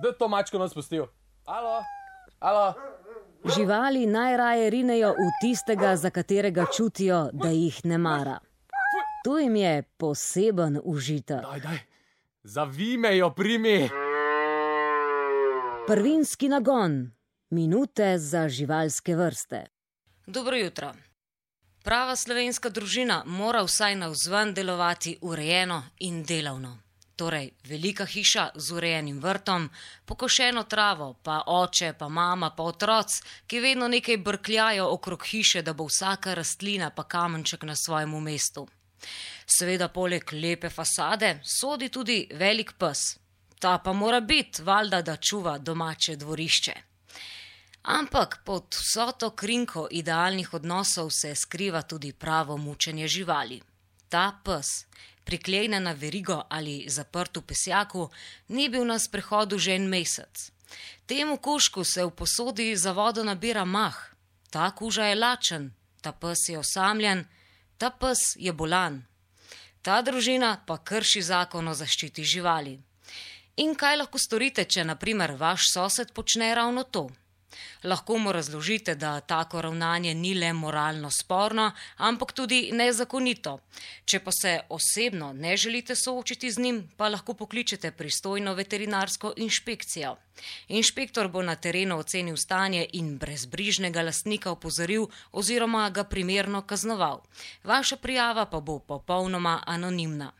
Da to mačko nas spustil. Alo? Alo? Živali najraje rinejo v tistega, za katerega čutijo, da jih ne mara. Tu jim je poseben užitek. Daj. Zavij me jo, primi. Prvinski nagon. Minute za živalske vrste. Dobro jutro. Prava slovenska družina mora vsaj navzven delovati urejeno in delavno. Torej, velika hiša z urejenim vrtom, pokošeno travo, pa oče, pa mama, pa otroci, ki vedno nekaj brkljajo okrog hiše, da bo vsaka rastlina pa kamenček na svojem mestu. Seveda poleg lepe fasade sodi tudi velik pes. Ta pa mora biti, valjda, da čuva domače dvorišče. Ampak pod vso to krinko idealnih odnosov se skriva tudi pravo mučenje živali. Ta pes, priklejnen na verigo ali zaprt v pesjaku, ni bil na sprehodu že en mesec. Temu kužku se v posodi za vodo nabira mah. Ta kuža je lačen, ta pes je osamljen, ta pes je bolan. Ta družina pa krši zakon o zaščiti živali. In kaj lahko storite, če na primer vaš sosed počne ravno to? Lahko mu razložite, da tako ravnanje ni le moralno sporno, ampak tudi nezakonito. Če pa se osebno ne želite soočiti z njim, pa lahko pokličete pristojno veterinarsko inšpekcijo. Inšpektor bo na terenu ocenil stanje in brezbrižnega lastnika opozoril oziroma ga primerno kaznoval. Vaša prijava pa bo popolnoma anonimna.